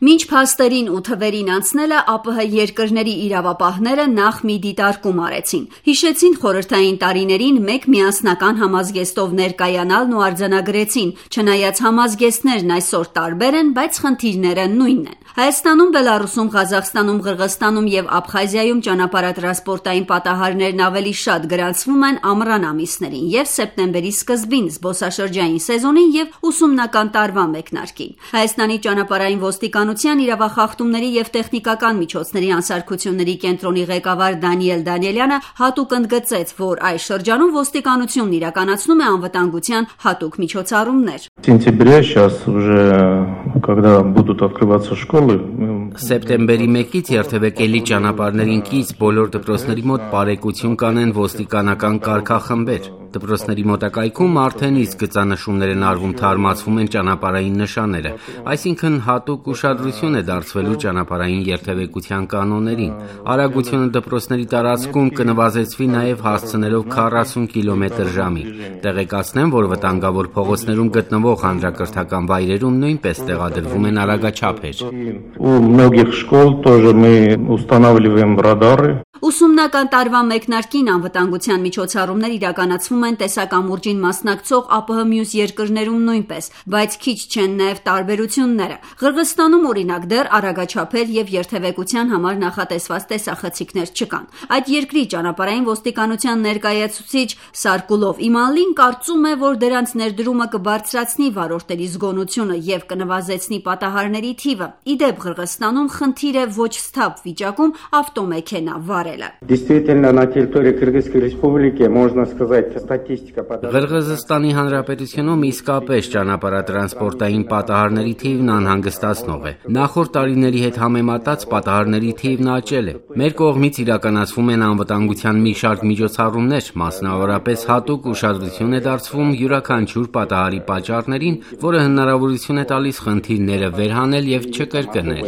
Մինչ փաստերին ու թվերին անցնելը ԱՊՀ երկրների իրավապահները նախ մի դիտարկում արեցին։ Հիշեցին խորհրդային տարիներին մեկ միասնական համազգեստով ներկայանալն ու արձանագրեցին, չնայած համազգեստներն այսօր տարբեր են, բայց խնդիրները նույնն են։ Հայաստանում, Բելառուսում, Ղազախստանում, Ղրղըզստանում եւ Աբխազիայում ճանապարհատրանսպորտային պատահարներն ավելի շատ գրանցվում են ամռան ամիսներին եւ սեպտեմբերի սկզբին զբոսաշրջային սեզոնին եւ ուսումնական տարվա մեկնարկին։ Հայաստանի ճանապարհային ոստիկանության իրավախախտումների եւ տեխնիկական միջոցների անսարքությունների կենտրոնի ղեկավար Դանիել Դանիելյանը հատուկ ընդգծեց, որ այս շրջանում ոստիկանությունն իրականացնում է անվտանգության հատուկ միջոցառումներ։ Սեպտեմբերի 1-ից երթևեկելի ճանապարհներին կից բոլոր դպրոցների մոտ բարեկություն կանեն ոստիկանական կարգախմբեր։ Դպրոցների մոտակայքում արդեն իսկ գծանշումներ են արվում, թարմացվում են ճանապարհային նշանները, այսինքն հատուկ ուշադրություն է դարձվելու ճանապարհային երթևեկության կանոններին։ Արագությունը դպրոցների տարածքում կնվազեցվի նաև հասցնելով 40 կմ/ժ։ Տեղեկացնեմ, որ վտանգավոր փողոցներում գտնվող հանրակրթական վայրերում նույնպես տեղադրվում են արագաչափեր։ Ուսումնական տարվա մեկնարկին անվտանգության միջոցառումներ իրականացվում են տեսակամուրջին մասնակցող ԱՊՀ մյուս երկրներում նույնպես, բայց քիչ չեն նաև տարբերությունները։ Ղրղըզստանում օրինակ դեռ արագաչափեր եւ երթևեկության համար նախատեսված տեսախցիկներ չկան։ Այդ երկրի ճանապարհային ոստիկանության ներկայացուցիչ Սարկուլով Իմանլին կարծում է, որ դրանց ներդրումը կբարձրացնի վարորդների զգոնությունը եւ կնվազեցնի պատահարների թիվը։ Իդեպ Ղրղըզստանում խնդիր է ոչ սթափ վիճակում ավտոմեքենա վարելը։ Ղրղըզստանի Հանրապետությունում իսկապես ճանապարհատրանսպորտային պատահարների թիվն անհանգստացնող է։ Նախորդ տարիների հետ համեմատած պատահարների թիվն աճել է։ Մեր կողմից իրականացվում են անվտանգության մի շարք միջոցառումներ, մասնավորապես հատուկ ուշադրություն է դարձվում յուրաքանչյուր պատահարի պատճառներին, որը հնարավորություն է տալիս խնդիրները վերհանել եւ չկրկնել։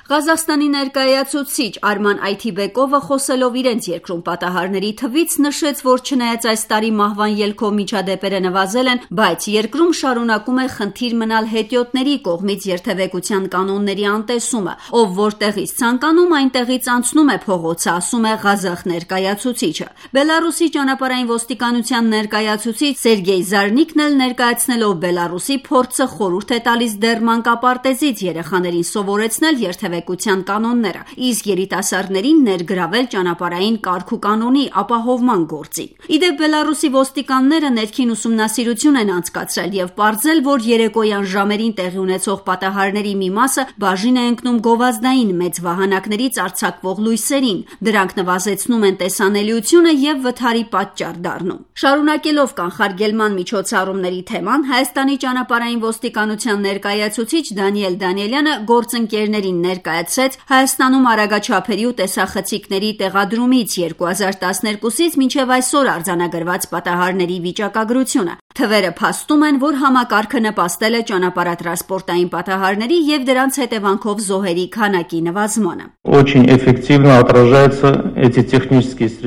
Ղազախստանի ներկայացուցիչ Արման Այթիբեկովը խոսելով իրենց երկրում պատահարների թվից նշեց, որ չնայած այս տարի մահվան ելքով միջադեպերը նվազել են, բայց երկրում շարունակում է խնդիր մնալ հետիոտների կողմից երթևեկության կանոնների անտեսումը, ով որտեղից ցանկանում այնտեղից անցնում է փողոցը, ասում է Ղազախ ներկայացուցիչը։ Բելառուսի ճանապարհային ոստիկանության ներկայացուցիչ Սերգեյ Զարնիկն էլ ներկայացնելով Բելառուսի փորձը խորհուրդ է տալիս դեռ մանկապարտեզից երեխաներին սովորեցնել երթևեկության կանոնները, իսկ երիտասարդներին ներգրավել ճանապարհային կարգ ու կանոնի ապահովման գործին։ Իդեպ Բելառուսի ոստիկանները ներքին ուսումնասիրություն են անցկացրել եւ պարզել, որ երեկոյան ժամերին տեղի ունեցող պատահարների մի մասը բաժին է ընկնում գովազդային մեծ վահանակներից արձակվող լույսերին։ Դրանք նվազեցնում են տեսանելիությունը եւ վթարի պատճառ դառնում։ Շարունակելով կանխարգելման միջոցառումների թեման, Հայաստանի ճանապարհային ոստիկանության ներկայացուցիչ Դանիել Դանիելյանը գործընկերներին ներկայացրեց Հայաստանում արագաչափերի ու տեսախցիկների տեղադրումից 2012-ից մինչև այսօր արձանագրված պատահարների վիճակագրությունը։ Թվերը փաստում են, որ համակարգը նպաստել է ճանապարհատրանսպորտային պատահարների եւ դրանց հետևանքով զոհերի քանակի նվազմանը։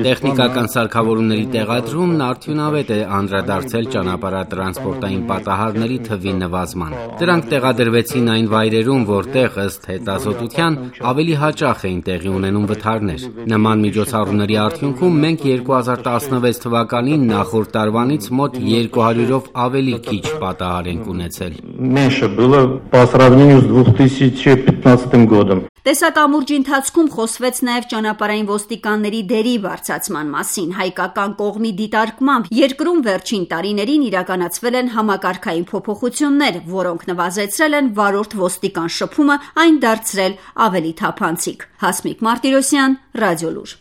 Տեխնիկական սարքավորումների տեղադրումն արդյունավետ է անդրադարձել ճանապարհատրանսպորտային պատահարների թվի նվազմանը։ Դրանք տեղադրվեցին այն վայրերում, որտեղ ըստ հետազոտության ավելի հաճախ էին տեղի ունենում վթարներ։ Նման միջոցառումների արդյունքում մենք 2016 թվականին նախորդ տարվանից մոտ 200-ով ավելի քիչ պատահար ենք ունեցել։ Տեսակամուրջի ընթացքում խոսվեց նաև ճանապարհային ոստիկանների դերի բարձրացման մասին։ Հայկական կողմի դիտարկմամբ երկրում վերջին տարիներին իրականացվել են համակարգային փոփոխություններ, որոնք նվազեցրել են վարորդ ոստիկան շփումը, այն դարձրել ավելի թափանցիկ։ Հասմիկ Մարտիրոսյան, Ռադիոլուր։